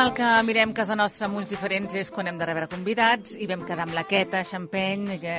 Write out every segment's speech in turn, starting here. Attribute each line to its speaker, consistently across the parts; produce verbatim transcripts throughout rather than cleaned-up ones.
Speaker 1: en el que mirem casa nostra amb ulls diferents és quan hem de rebre convidats i vam quedar amb la Queta Champeny, que,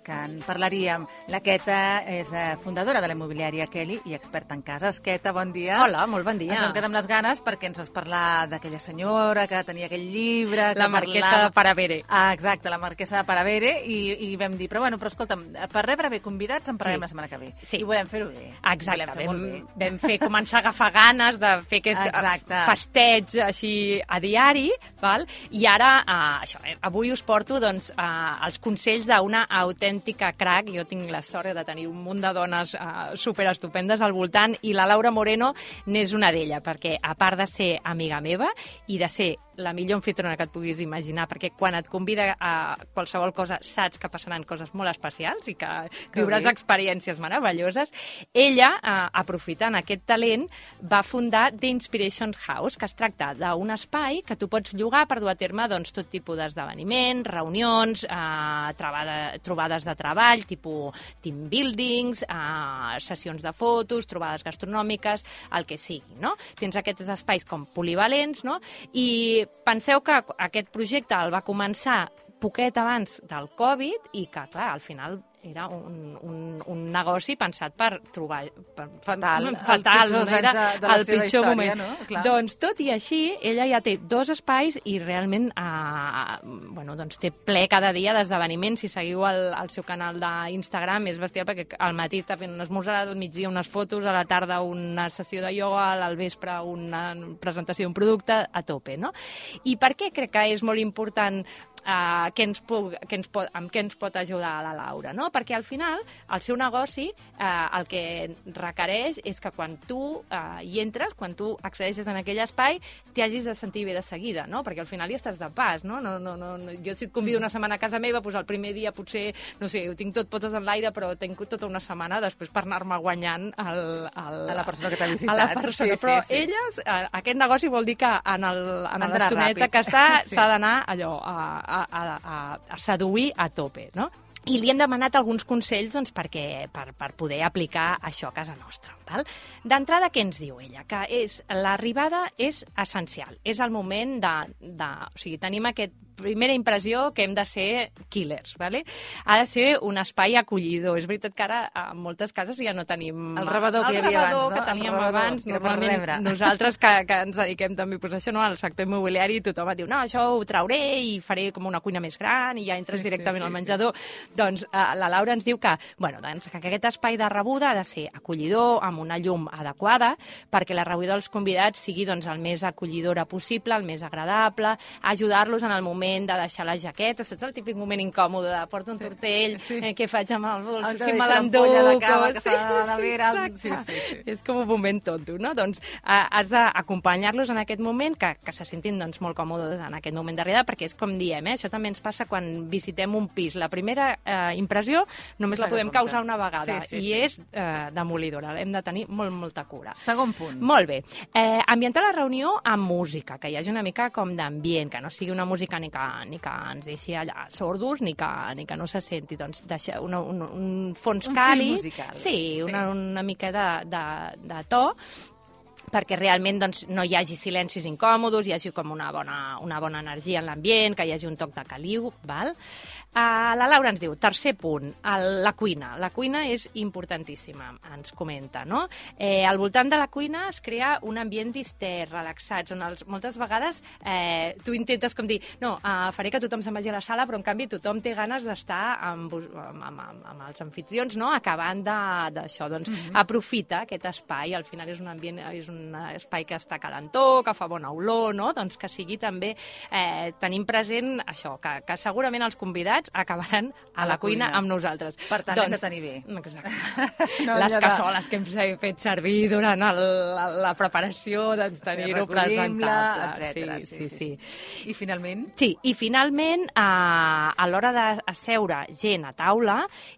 Speaker 1: que en parlaríem. La Queta és fundadora de la immobiliària Kelly i experta en cases. Queta, bon dia.
Speaker 2: Hola, molt bon dia.
Speaker 1: Ens vam quedar amb les ganes perquè ens vas parlar d'aquella senyora que tenia aquell llibre...
Speaker 2: La marquesa parlava... de Paravere.
Speaker 1: Ah, exacte, la marquesa de Paravere, i, i vam dir, però bueno, però escolta'm, per rebre bé convidats en parlarem sí. la setmana que ve.
Speaker 2: Sí.
Speaker 1: I volem fer-ho bé.
Speaker 2: Exacte, fer vam, bé. vam fer començar a agafar ganes de fer aquest Exacte. festeig així a diari, val? I ara, uh, això, eh, avui us porto doncs, uh, els consells d'una autèntica crac. Jo tinc la sort de tenir un munt de dones uh, superestupendes al voltant i la Laura Moreno n'és una d'ella, perquè a part de ser amiga meva i de ser la millor anfitriona que et puguis imaginar, perquè quan et convida a qualsevol cosa saps que passaran coses molt especials i que, que viuràs bé. experiències meravelloses. Ella, eh, aprofitant aquest talent, va fundar The Inspiration House, que es tracta d'un espai que tu pots llogar per dur a terme doncs, tot tipus d'esdeveniments, reunions, eh, trobada, trobades de treball, tipus team buildings, eh, sessions de fotos, trobades gastronòmiques, el que sigui, no? Tens aquests espais com polivalents, no? I penseu que aquest projecte el va començar poquet abans del Covid i que, clar, al final era un, un, un negoci pensat per trobar... Per,
Speaker 1: fatal.
Speaker 2: Fatal,
Speaker 1: el pitjor,
Speaker 2: era
Speaker 1: de, de
Speaker 2: el pitjor
Speaker 1: història,
Speaker 2: moment.
Speaker 1: No? Clar.
Speaker 2: Doncs, tot i així, ella ja té dos espais i realment eh, bueno, doncs té ple cada dia d'esdeveniments. Si seguiu el, el seu canal d'Instagram és bestial perquè al matí està fent un esmorzar, al migdia unes fotos, a la tarda una sessió de ioga, al vespre una presentació d'un producte, a tope, no? I per què crec que és molt important Uh, què ens puc, què ens pot, amb què ens pot ajudar a la Laura, no? Perquè al final el seu negoci uh, el que requereix és que quan tu uh, hi entres, quan tu accedeixes en aquell espai, t'hi hagis de sentir bé de seguida, no? Perquè al final hi estàs de pas, no? no, no, no jo si et convido una setmana a casa meva, doncs el primer dia potser, no sé, ho tinc tot potes en l'aire, però tinc tota una setmana després per anar-me guanyant el, el,
Speaker 1: a la persona que t'ha visitat.
Speaker 2: A la persona, sí, però sí, sí. elles, uh, aquest negoci vol dir que en l'estoneta que està s'ha sí. d'anar allò a, a A, a, a seduir a tope, no? I li hem demanat alguns consells doncs, perquè, per, per poder aplicar això a casa nostra. D'entrada, què ens diu ella? Que és l'arribada és essencial. És el moment de... de o sigui, tenim aquest primera impressió que hem de ser killers, ¿vale? Ha de ser un espai acollidor. És veritat que ara a moltes cases ja no tenim...
Speaker 1: El rebedor que hi havia abans, no?
Speaker 2: que teníem
Speaker 1: rebedor,
Speaker 2: abans. Normalment nosaltres que, que ens dediquem també pues, això, no? al sector immobiliari, tothom et diu, no, això ho trauré i faré com una cuina més gran i ja entres sí, directament sí, sí, al menjador. Sí. Doncs eh, la Laura ens diu que, bueno, doncs, que aquest espai de rebuda ha de ser acollidor, amb una llum adequada, perquè la rebuda dels convidats sigui doncs, el més acollidora possible, el més agradable, ajudar-los en el moment de deixar la jaqueta, saps el típic moment incòmode de porto un sí, tortell, sí. Eh, què faig amb el bols, si me l'enduc,
Speaker 1: sí, sí,
Speaker 2: sí, sí, sí. És com un moment tonto, no? Doncs eh, has d'acompanyar-los en aquest moment, que, que se sentin doncs, molt còmodes en aquest moment d'arribada, perquè és com diem, eh? Això també ens passa quan visitem un pis. La primera eh, impressió només la podem causar una vegada, sí, sí, i sí. és eh, demolidora, hem de tenir molt, molta cura.
Speaker 1: Segon punt.
Speaker 2: Molt bé. Eh, ambientar la reunió amb música, que hi hagi una mica com d'ambient, que no sigui una música ni que, ni que ens deixi allà sordos, ni que, ni que no se senti, doncs, deixar una, un, un fons
Speaker 1: un
Speaker 2: càlid.
Speaker 1: Musical.
Speaker 2: Sí, sí. Una, una mica de, de, de to, perquè realment doncs, no hi hagi silencis incòmodes, hi hagi com una bona, una bona energia en l'ambient, que hi hagi un toc de caliu, val? Uh, la Laura ens diu, tercer punt, el, la cuina. La cuina és importantíssima, ens comenta, no? Eh, al voltant de la cuina es crea un ambient distès, relaxat, on els, moltes vegades eh, tu intentes com dir, no, uh, faré que tothom se'n vagi a la sala, però en canvi tothom té ganes d'estar amb, amb, amb, amb els anfitrions, no?, acabant d'això. Doncs mm-hmm. aprofita aquest espai, al final és un ambient, és un espai que està calentó, que fa bona olor, no?, doncs que sigui també, eh, tenim present això, que, que segurament els convidats acabaran a, a la, la cuina, cuina amb nosaltres.
Speaker 1: Per tant, doncs, hem de tenir bé.
Speaker 2: Exacte. No, les cassoles de... que hem fet servir durant el, la, la preparació, doncs tenir-ho sí, presentable.
Speaker 1: etcètera. Sí, sí, sí, sí. I finalment?
Speaker 2: Sí, i finalment, eh, a l'hora d'asseure gent a taula,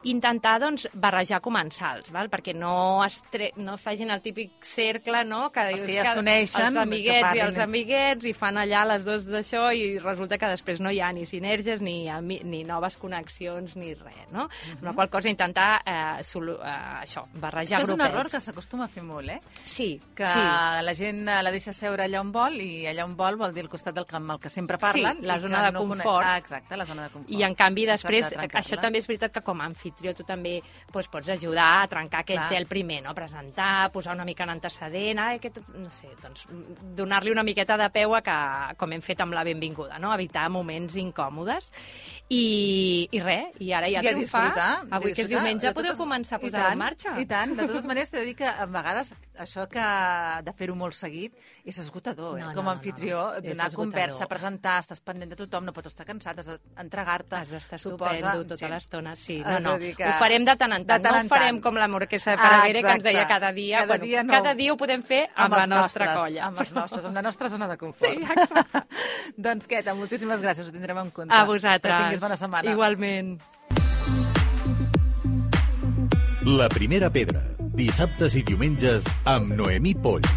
Speaker 2: intentar doncs, barrejar comensals, val? Perquè no, estre... no facin el típic cercle, no?, Que
Speaker 1: els que ja es coneixen.
Speaker 2: Els amiguets i els amiguets, i fan allà les dos d'això, i resulta que després no hi ha ni sinergies, ni, ni noves connexions, ni res, no? Uh-huh. Una qual cosa, intentar eh, solu, eh, això, barrejar grupets.
Speaker 1: Això és un error que s'acostuma a fer molt, eh?
Speaker 2: Sí.
Speaker 1: Que
Speaker 2: sí.
Speaker 1: la gent la deixa seure allà on vol, i allà on vol vol dir al costat del camp el que sempre parlen.
Speaker 2: Sí, la zona de
Speaker 1: no
Speaker 2: confort.
Speaker 1: Ah, exacte, la zona de confort.
Speaker 2: I en canvi després, això també és veritat que com a anfitrió tu també doncs, pots ajudar a trencar aquest Clar. gel primer, no? Presentar, posar una mica en antecedent, ah, aquest, no sé, doncs donar-li una miqueta de peu a que, com hem fet amb la benvinguda, no? Evitar moments incòmodes. I, i res, i ara ja, ja triomfar. Avui que és diumenge ja podeu totes... començar a posar-ho en marxa.
Speaker 1: I tant, de totes maneres t'he de dir que a vegades això que de fer-ho molt seguit és esgotador, eh? No, com a anfitrió, no, no, no. donar conversa, presentar, estàs pendent de tothom, no pots estar cansat, has d'entregar-te.
Speaker 2: Has d'estar estupendo tota sí. l'estona, sí. No, no,
Speaker 1: que...
Speaker 2: ho farem de tant en tant, tant no ho farem tant. Com la Marquesa de Paravere, ah, que ens deia cada dia.
Speaker 1: Cada,
Speaker 2: bueno,
Speaker 1: dia, no.
Speaker 2: cada dia ho podem fer amb, amb la nostra
Speaker 1: nostres,
Speaker 2: colla.
Speaker 1: Amb els nostres, amb la nostra zona de confort.
Speaker 2: Sí, exacte.
Speaker 1: Doncs, Queta, moltíssimes gràcies, ho tindrem en compte.
Speaker 2: A vosaltres.
Speaker 1: Que tinguis bona setmana.
Speaker 2: Igualment.
Speaker 3: La primera pedra, dissabtes i diumenges amb Noemí Polls.